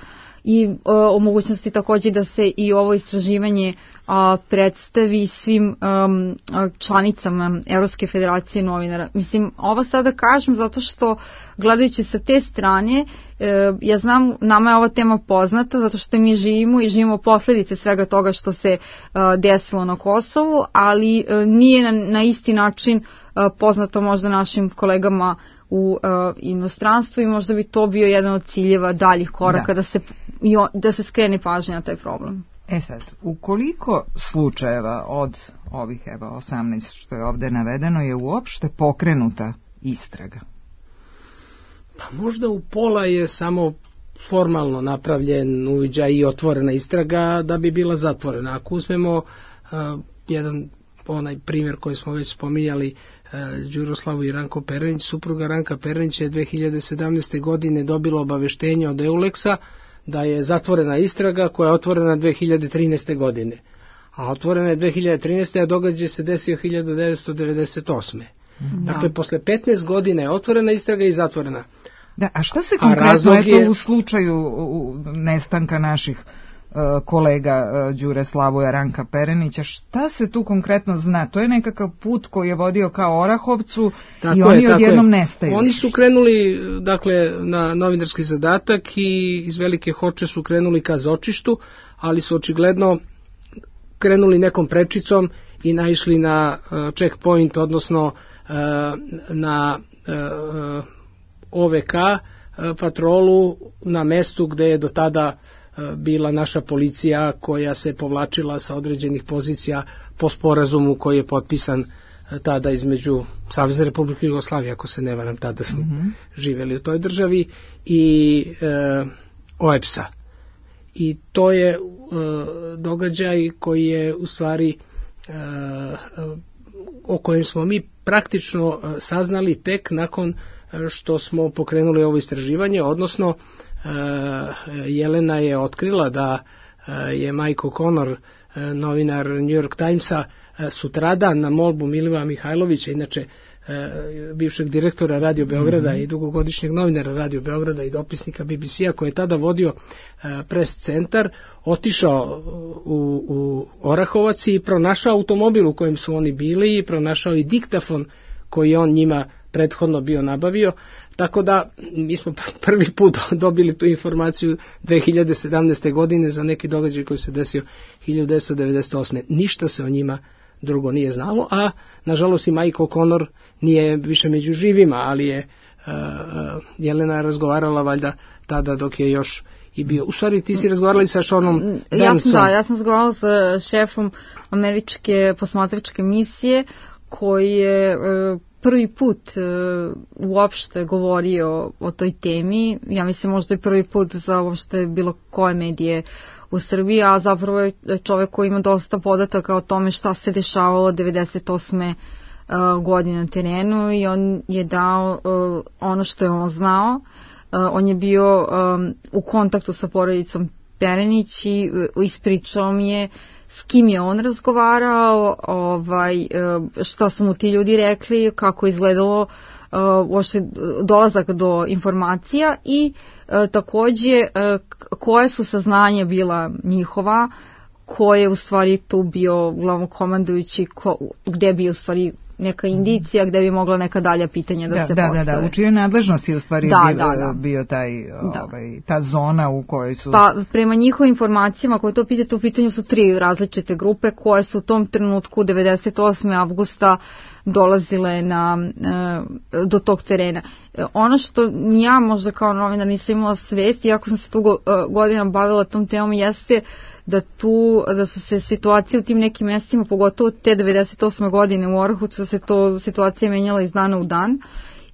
S22: i e, o mogućnosti također da se i ovo istraživanje a, predstavi svim um, članicama Evropske federacije novinara. Mislim, ovo sada kažem zato što gledajući sa te strane, e, ja znam, nama je ova tema poznata zato što mi živimo i živimo posljedice svega toga što se a, desilo na Kosovu, ali a, nije na, na isti način a, poznato možda našim kolegama u uh, inostranstvu i možda bi to bio jedan od ciljeva daljih koraka da, da, se, da se skrene pažnja na taj problem.
S11: E sad, u koliko slučajeva od ovih evo osamnaest što je ovde navedeno je uopšte pokrenuta istraga?
S1: Pa možda u pola je samo formalno napravljen uviđaj i otvorena istraga da bi bila zatvorena. Ako uzmemo uh, jedan onaj primjer koji smo već spominjali, Đuroslavu i Ranko Perenić, supruga Ranka Perenića je dve hiljade sedamnaeste. godine dobila obaveštenje od Euleksa da je zatvorena istraga koja je otvorena dve hiljade trinaeste. godine. A otvorena je dve hiljade trinaeste. a događaj se desio hiljadu devetsto devedeset osme. Da. Dakle, posle petnaest godina je otvorena istraga i zatvorena.
S11: Da, a šta se konkretno eto, je u slučaju nestanka naših kolega Đure Slavuja Ranka Perenića, šta se tu konkretno zna? To je nekakav put koji je vodio kao Orahovcu tako i oni je, odjednom nestaju.
S1: Oni su krenuli dakle na novinarski zadatak i iz Velike Hoče su krenuli ka Zočištu, ali su očigledno krenuli nekom prečicom i naišli na uh, checkpoint, odnosno uh, na uh, O V K uh, patrolu na mestu gde je do tada bila naša policija koja se povlačila sa određenih pozicija po sporazumu koji je potpisan tada između Savezne Republike Jugoslavije, ako se ne varam, tada smo mm-hmm. živjeli u toj državi, i e, O E P S-a. I to je e, događaj koji je u stvari e, o kojem smo mi praktično saznali tek nakon što smo pokrenuli ovo istraživanje, odnosno Jelena je otkrila da je Mike O'Connor, novinar New York Timesa, sutradan na molbu Milivoja Mihajlovića, inače bivšeg direktora Radio Beograda mm-hmm. i dugogodišnjeg novinara Radio Beograda i dopisnika B B C-a, koji je tada vodio pres centar, otišao u, u Orahovac i pronašao automobil u kojem su oni bili i pronašao i diktafon koji on njima prethodno bio nabavio. Tako da mi smo prvi put dobili tu informaciju dve hiljade sedamnaeste. godine za neki događaj koji se desio hiljadu devetsto devedeset osme. Ništa se o njima drugo nije znalo, a nažalost i Mike O'Connor nije više među živima, ali je uh, Jelena razgovarala valjda tada dok je još i bio. U stvari ti si razgovarali sa Seanom Burnsom.
S22: Da, ja sam razgovarala sa šefom američke posmatračke misije koji je uh, prvi put uh, uopšte govorio o toj temi. Ja mislim možda i prvi put za uopšte bilo koje medije u Srbiji, a zapravo je čovek koji ima dosta podataka o tome šta se dešavalo devedeset osme godine na terenu i on je dao ono što je on znao. On je bio u kontaktu sa porodicom Perenić i ispričao mi je s kim je on razgovarao, ovaj, šta su mu ti ljudi rekli, kako je izgledalo uopšte dolazak do informacija i takođe koje su saznanja bila njihova, ko je u stvari tu bio glavnokomandujući, ko, gde bi u stvari neka indicija, gde bi mogla neka dalja pitanja da, da se
S11: da,
S22: postave.
S11: Da, da, u čijoj nadležnosti u stvari
S22: da,
S11: bio,
S22: da, da.
S11: bio taj,
S22: da.
S11: ovaj, ta zona u kojoj su...
S22: Pa prema njihovim informacijama koje to pitate, u pitanju su tri različite grupe koje su u tom trenutku devedeset osme avgusta dolazile na, do tog terena. Ono što ja možda kao novinar nisam imala svest, iako sam se tu godina bavila tom temom, jeste da tu, da su se situacije u tim nekim mjestima, pogotovo te devedeset osme godine u Orahovcu, se to situacija menjala iz dana u dan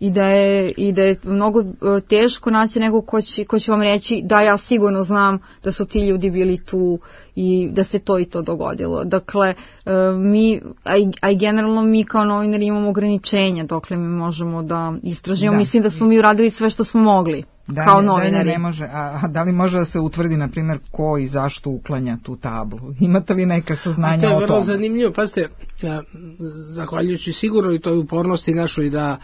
S22: i da je, i da je mnogo teško naći nekog ko će, ko će vam reći da ja sigurno znam da su ti ljudi bili tu i da se to i to dogodilo. Dakle, mi, a i, a i generalno mi kao novinari imamo ograničenja dokle mi možemo da istražimo. Da. Mislim da smo mi uradili sve što smo mogli.
S11: Da,
S22: kao
S11: ne,
S22: novinari.
S11: Da, ne može. A, a da li može da se utvrdi, na primjer, ko i zašto uklanja tu tablu? Imate li neka saznanja o tome?
S1: To je vrlo zanimljivo. Pazite, zahvaljujući sigurno i toj upornosti našoj da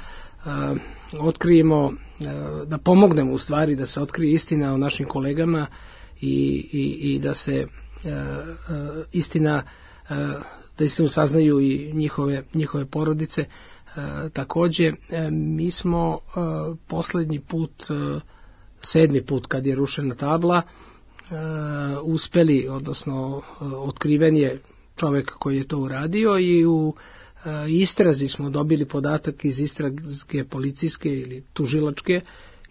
S1: a, otkrijemo, a, da pomognemo u stvari da se otkrije istina o našim kolegama i, i, i da se a, a, istina, a, da istinu saznaju i njihove, njihove porodice. A, takođe, a, mi smo a, poslednji put a, sedmi put kad je rušena tabla, e, uspeli, odnosno e, otkriven je čovjek koji je to uradio i u e, istrazi smo dobili podatak iz istrage policijske ili tužilačke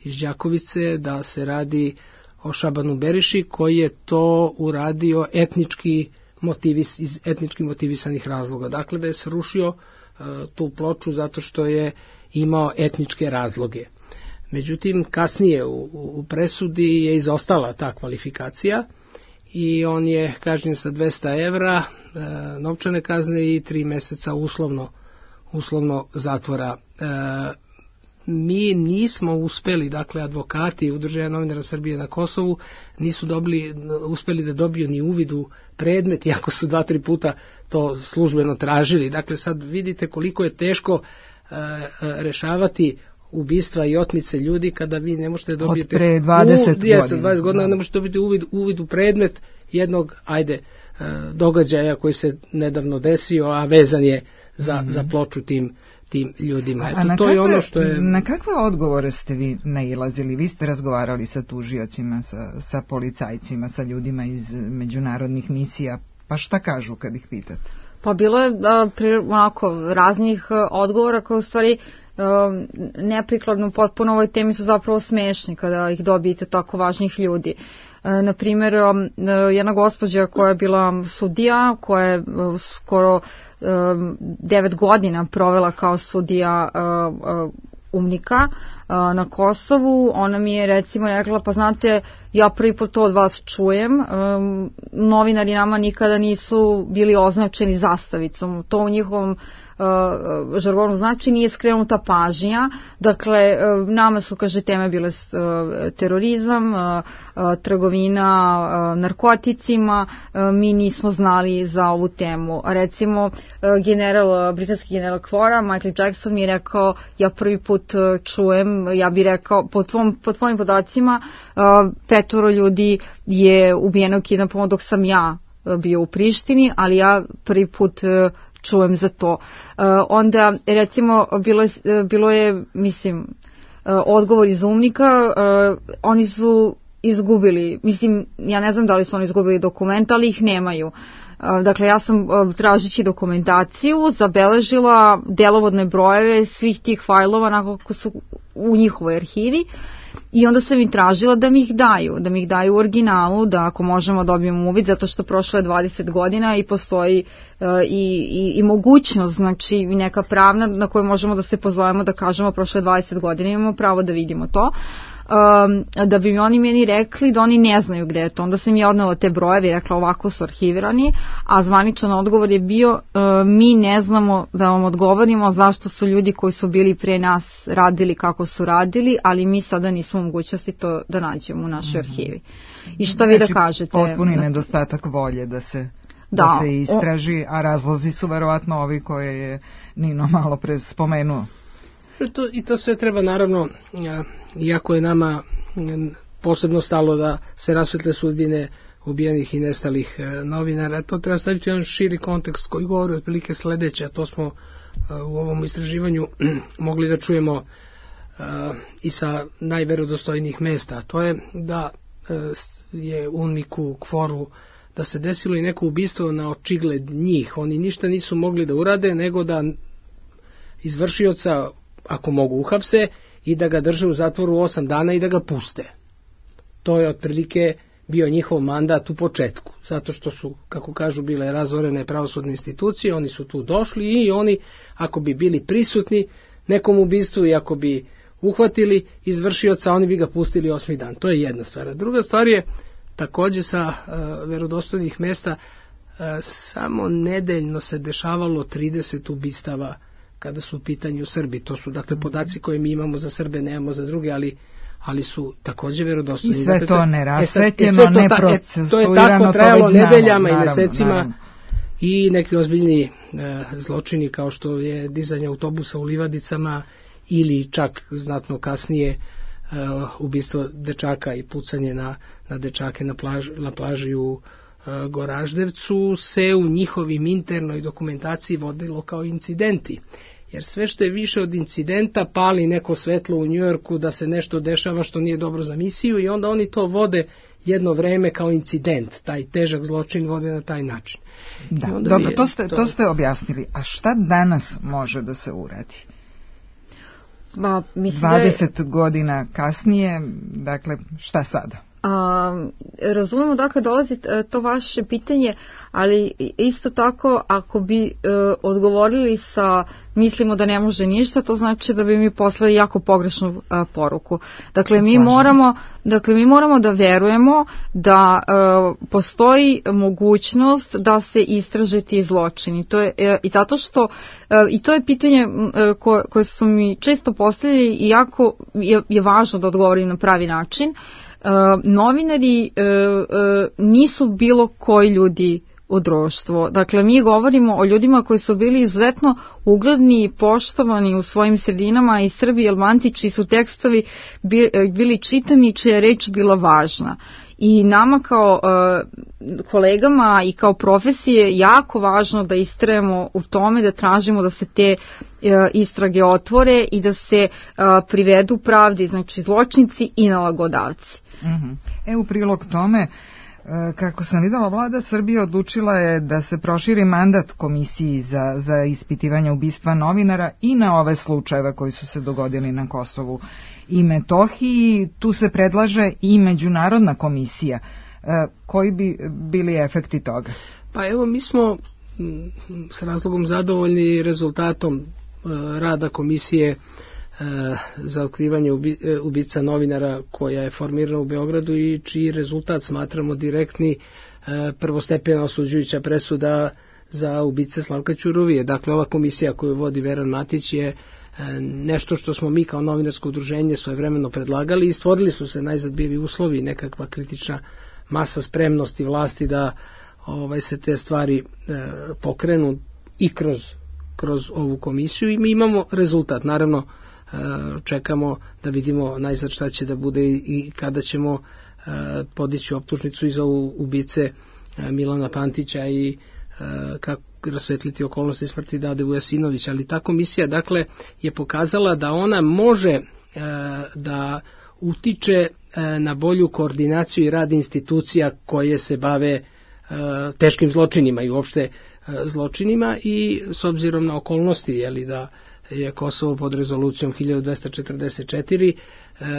S1: iz Đakovice da se radi o Šabanu Beriši koji je to uradio etnički motivis, iz etnički motivisanih razloga. Dakle, da je srušio e, tu ploču zato što je imao etničke razloge. Međutim, kasnije u, u presudi je izostala ta kvalifikacija i on je kažnjen sa dvesta evra e, novčane kazne i tri meseca uslovno, uslovno zatvora. E, mi nismo uspeli, dakle advokati Udruženja novinara Srbije na Kosovu nisu dobili, uspeli da dobiju ni uvid u predmet, iako su dva, tri puta to službeno tražili. Dakle, sad vidite koliko je teško e, rešavati ubistva i otmice ljudi kada vi ne možete dobiti
S11: od pre dvadeset
S1: u, jeste, dvadeset godina ne možete dobiti uvid, uvid u predmet jednog ajde događaja koji se nedavno desio, a vezan je za, mm-hmm. za ploču tim tim ljudima. Eto, to kakve, je ono što je...
S11: Na kakve odgovore ste vi nailazili? Vi ste razgovarali sa tužiocima, sa, sa policajcima, sa ljudima iz međunarodnih misija, pa šta kažu kad ih pitate?
S22: Pa bilo je a, pri, onako raznih a, odgovora koje u stvari Um, neprikladno potpuno ovoj temi su zapravo smešni kada ih dobijete tako važnih ljudi. Uh, na primjer, um, jedna gospođa koja je bila sudija, koja je uh, skoro um, devet godina provela kao sudija uh, uh, umnika uh, na Kosovu, ona mi je recimo rekla, pa znate, ja prvi put to od vas čujem, um, novinari nama nikada nisu bili označeni zastavicom, to u njihovom Uh, žargonu znači nije skrenuta pažnja, dakle uh, nama su, kaže, teme bile uh, terorizam, uh, uh, trgovina uh, narkoticima, uh, mi nismo znali za ovu temu. Recimo uh, general, uh, britanski general Kvora, Michael Jackson mi je rekao, ja prvi put uh, čujem, ja bih rekao, po, tvom, po tvojim podacima uh, petoro ljudi je ubijeno kidnapom dok sam ja uh, bio u Prištini, ali ja prvi put uh, čujem za to. Uh, onda, recimo, bilo je, bilo je mislim, uh, odgovor iz umnika, uh, oni su izgubili, mislim, ja ne znam da li su oni izgubili dokument, ali ih nemaju. Uh, dakle, ja sam uh, tražići dokumentaciju zabeležila delovodne brojeve svih tih fajlova onako su u njihovoj arhivi i onda sam im tražila da mi ih daju, da mi ih daju u originalu, da ako možemo dobijemo uvid, zato što prošlo je dvadeset godina i postoji uh, i, i, i mogućnost, znači neka pravna na koju možemo da se pozovemo da kažemo prošlo je dvadeset godina, imamo pravo da vidimo to. um, da bi mi oni meni rekli da oni ne znaju gde je to. Onda sam ja odnela te brojeve i rekla ovako su arhivirani, a zvaničan odgovor je bio uh, mi ne znamo da vam odgovorimo zašto su ljudi koji su bili pre nas radili kako su radili, ali mi sada nismo u mogućnosti to da nađemo u našoj arhivi. I šta vi da kažete?
S11: Potpuni nedostatak volje da se, da, da se istraži, a razlozi su verovatno ovi koje je Nino malo pre spomenuo.
S1: To, I to sve treba naravno, iako je nama posebno stalo da se rasvetle sudbine ubijenih i nestalih novinara, to treba staviti jedan širi kontekst koji govori otprilike sledeće, a to smo u ovom istraživanju mogli da čujemo i sa najverodostojnijih mesta, a to je da je uniku kforu da se desilo i neko ubistvo na očigled njih. Oni ništa nisu mogli da urade nego da izvršioca, ako mogu, uhapse i da ga drže u zatvoru osam dana i da ga puste. To je otprilike bio njihov mandat u početku, zato što su, kako kažu, bile razorene pravosudne institucije, oni su tu došli i oni, ako bi bili prisutni nekom ubistvu i ako bi uhvatili izvršioca, oni bi ga pustili osmi dan. To je jedna stvar. Druga stvar je, takođe sa uh, verodostojnih mesta, uh, samo nedeljno se dešavalo trideset ubistava kada su u pitanju Srbi. To su dakle podaci koje mi imamo za Srbe, nemamo za druge, ali ali su takođe verodostojni.
S11: I sve
S1: dakle,
S11: to nerasvetljeno,
S1: e
S11: neprocesuirano,
S1: to je tako trajalo nedeljama
S11: naravno,
S1: i mesecima.
S11: Naravno.
S1: I neki ozbiljni e, zločini kao što je dizanje autobusa u livadicama ili čak znatno kasnije e, ubistvo dečaka i pucanje na, na dečake na, plaž, na plaži u e, Goraždevcu se u njihovim internoj dokumentaciji vodilo kao incidenti. Jer sve što je više od incidenta pali neko svetlo u Njujorku da se nešto dešava što nije dobro za misiju i onda oni to vode jedno vreme kao incident, taj težak zločin vode na taj način.
S11: Da, dobro, to ste, to... to ste objasnili. A šta danas može da se uradi?
S22: Ma, mislim
S11: dvadeset
S22: da je...
S11: godina kasnije, dakle, šta sada?
S22: A, razumemo dakle dolazi to vaše pitanje, ali isto tako ako bi e, odgovorili sa mislimo da ne može ništa, to znači da bi mi poslali jako pogrešnu a, poruku. Dakle mi moramo, dakle mi moramo da verujemo da e, postoji mogućnost da se istraže ti zločini. To je e, i zato što e, i to je pitanje e, koje, koje su mi često postavljali i jako je, je važno da odgovorim na pravi način. Uh, novinari uh, uh, nisu bilo koji ljudi u društvu. Dakle, mi govorimo o ljudima koji su bili izuzetno ugledni i poštovani u svojim sredinama i Srbi i Albanci čiji su tekstovi bili čitani, čija je reč bila važna. I nama kao uh, kolegama i kao profesije jako važno da istrajemo u tome, da tražimo da se te uh, istrage otvore i da se uh, privedu pravdi, znači zločinci i nalagodavci.
S11: Mm-hmm. E, u prilog tome, kako sam videla, vlada Srbije odlučila je da se proširi mandat komisiji za, za ispitivanje ubistva novinara i na ove slučajeve koji su se dogodili na Kosovu i Metohiji. Tu se predlaže i međunarodna komisija. Koji bi bili efekti toga?
S1: Pa evo, mi smo s razlogom zadovoljni rezultatom rada komisije za otkrivanje ubica novinara koja je formirana u Beogradu i čiji rezultat smatramo direktni prvostepena osuđujuća presuda za ubice Slavka Ćuruvije. Dakle, ova komisija koju vodi Veran Matić je nešto što smo mi kao novinarsko udruženje svojevremeno predlagali i stvorili su se najzad bili uslovi, nekakva kritična masa spremnosti vlasti da ovaj, se te stvari e, pokrenu i kroz, kroz ovu komisiju i mi imamo rezultat. Naravno, čekamo da vidimo najzad šta će da bude i kada ćemo podići optužnicu i za ubice Milana Pantića i kako rasvetliti okolnosti smrti Dade Vujasinovića, ali ta komisija dakle je pokazala da ona može da utiče na bolju koordinaciju i rad institucija koje se bave teškim zločinima i uopšte zločinima i s obzirom na okolnosti, jeli da je Kosovo pod rezolucijom hiljadu dvesta četrdeset četiri,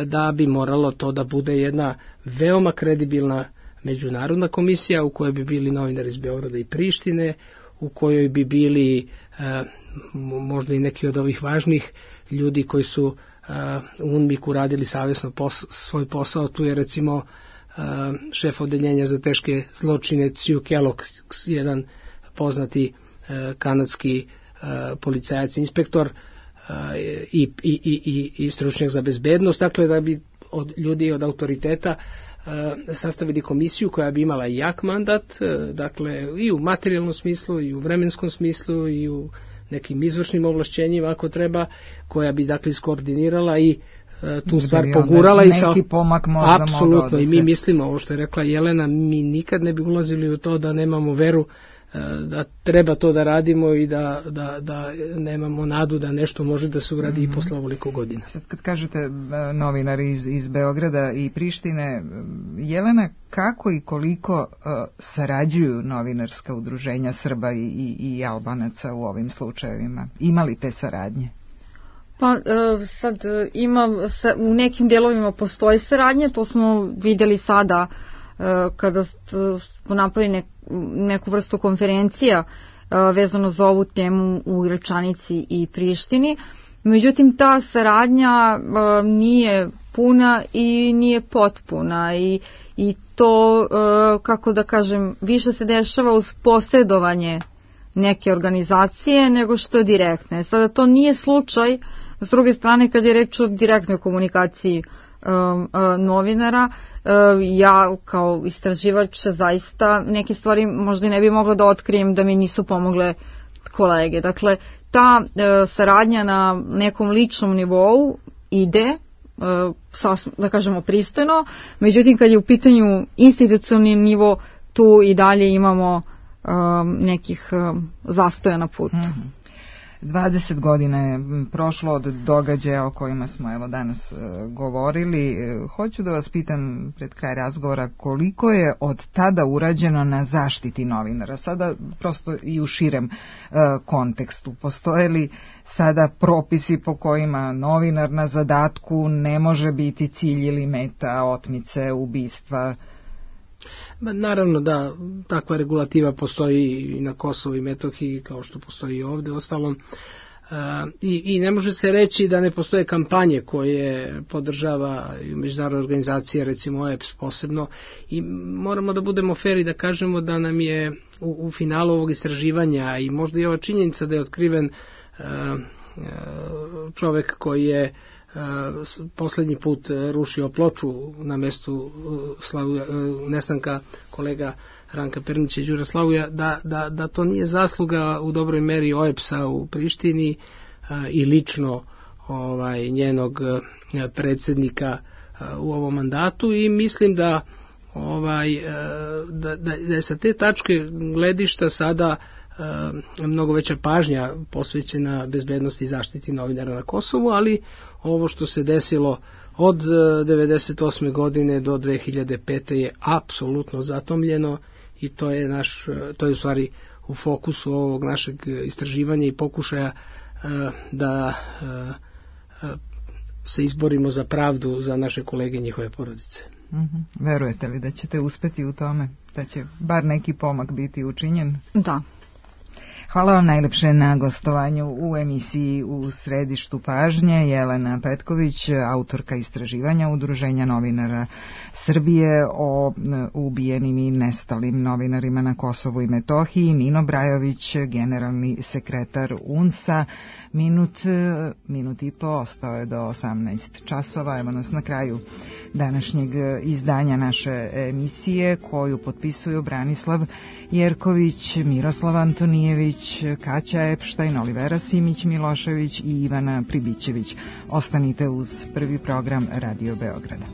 S1: da bi moralo to da bude jedna veoma kredibilna međunarodna komisija u kojoj bi bili novinari iz Beograda i Prištine, u kojoj bi bili možda i neki od ovih važnih ljudi koji su u U N M I K-u radili savjesno pos, svoj posao. Tu je recimo šef odeljenja za teške zločine Sue Kellogg, jedan poznati kanadski policajac, inspektor i, i, i, i stručnjak za bezbednost, dakle da bi od ljudi od autoriteta sastavili komisiju koja bi imala jak mandat, dakle i u materijalnom smislu i u vremenskom smislu i u nekim izvršnim ovlašćenjima ako treba, koja bi dakle iskoordinirala i tu stvar pogurala i sa
S4: neki pomak možda
S1: apsolutno i mi mislimo ovo što je rekla Jelena, mi nikad ne bi ulazili u to da nemamo veru da treba to da radimo i da, da, da nemamo nadu da nešto može da se uradi mm-hmm. i posle ovoliko godina.
S4: Sad kad kažete novinari iz, iz Beograda i Prištine, Jelena, kako i koliko uh, sarađuju novinarska udruženja Srba i, i, i Albanaca u ovim slučajevima? Ima li te saradnje?
S22: Pa sad ima, u nekim delovima postoji saradnja, to smo vidjeli sada kada smo napravili nek, neku vrstu konferencija vezano za ovu temu u Iračanici i Prištini. Međutim, ta saradnja nije puna i nije potpuna i, i to, kako da kažem, više se dešava uz posredovanje neke organizacije nego što je direktne. Sada to nije slučaj, s druge strane, kad je reč o direktnoj komunikaciji um, uh, novinara, uh, ja kao istraživač zaista neke stvari možda ne bi mogla da otkrijem da mi nisu pomogle kolege. Dakle, ta uh, saradnja na nekom ličnom nivou ide, uh, sasvim, da kažemo, pristojno, međutim kad je u pitanju institucionalni nivo, tu i dalje imamo um, nekih um, zastoja na putu. Mm-hmm.
S4: dvadeset godina je prošlo od događaja o kojima smo evo danas uh, govorili. Hoću da vas pitam pred kraj razgovora koliko je od tada urađeno na zaštiti novinara. Sada prosto i u širem uh, kontekstu. Postoje li sada propisi po kojima novinar na zadatku ne može biti cilj ili meta otmice, ubistva?
S1: Ba, naravno da takva regulativa postoji i na Kosovu i Metohiji kao što postoji i ovdje ostalom e, i, i ne može se reći da ne postoje kampanje koje podržava i međunarodna organizacija, recimo O E P S posebno, i moramo da budemo fer i da kažemo da nam je u, u finalu ovog istraživanja i možda i ova činjenica da je otkriven e, čovek koji je poslednji put rušio ploču na mestu Slavuja, nestanka kolega Ranka Pernića i Đura Slavuja, da, da, da to nije zasluga u dobroj meri O E P S-a u Prištini i lično ovaj, njenog predsjednika u ovom mandatu i mislim da, ovaj, da, da, da je sa te tačke gledišta sada mnogo veća pažnja posvećena bezbednosti i zaštiti novinara na Kosovu, ali ovo što se desilo od devedeset osme godine do dve hiljade pete je apsolutno zatomljeno i to je naš, to je u stvari u fokusu ovog našeg istraživanja i pokušaja da se izborimo za pravdu za naše kolege i njihove porodice.
S4: Mm-hmm. Verujete li da ćete uspeti u tome? Da će bar neki pomak biti učinjen?
S22: Da.
S4: Hvala vam najlepše na gostovanju u emisiji U središtu pažnje. Jelena Petković, autorka istraživanja Udruženja novinara Srbije o ubijenim i nestalim novinarima na Kosovu i Metohiji, Nino Brajović, generalni sekretar U N S A. Minut, minut i po, ostao je do osamnaest časova. Evo nas na kraju današnjeg izdanja naše emisije koju potpisuju Branislav Jerković, Miroslav Antonijević, Kaća Epštajn, Olivera Simić Milošević i Ivana Pribićević. Ostanite uz prvi program Radio Beograda.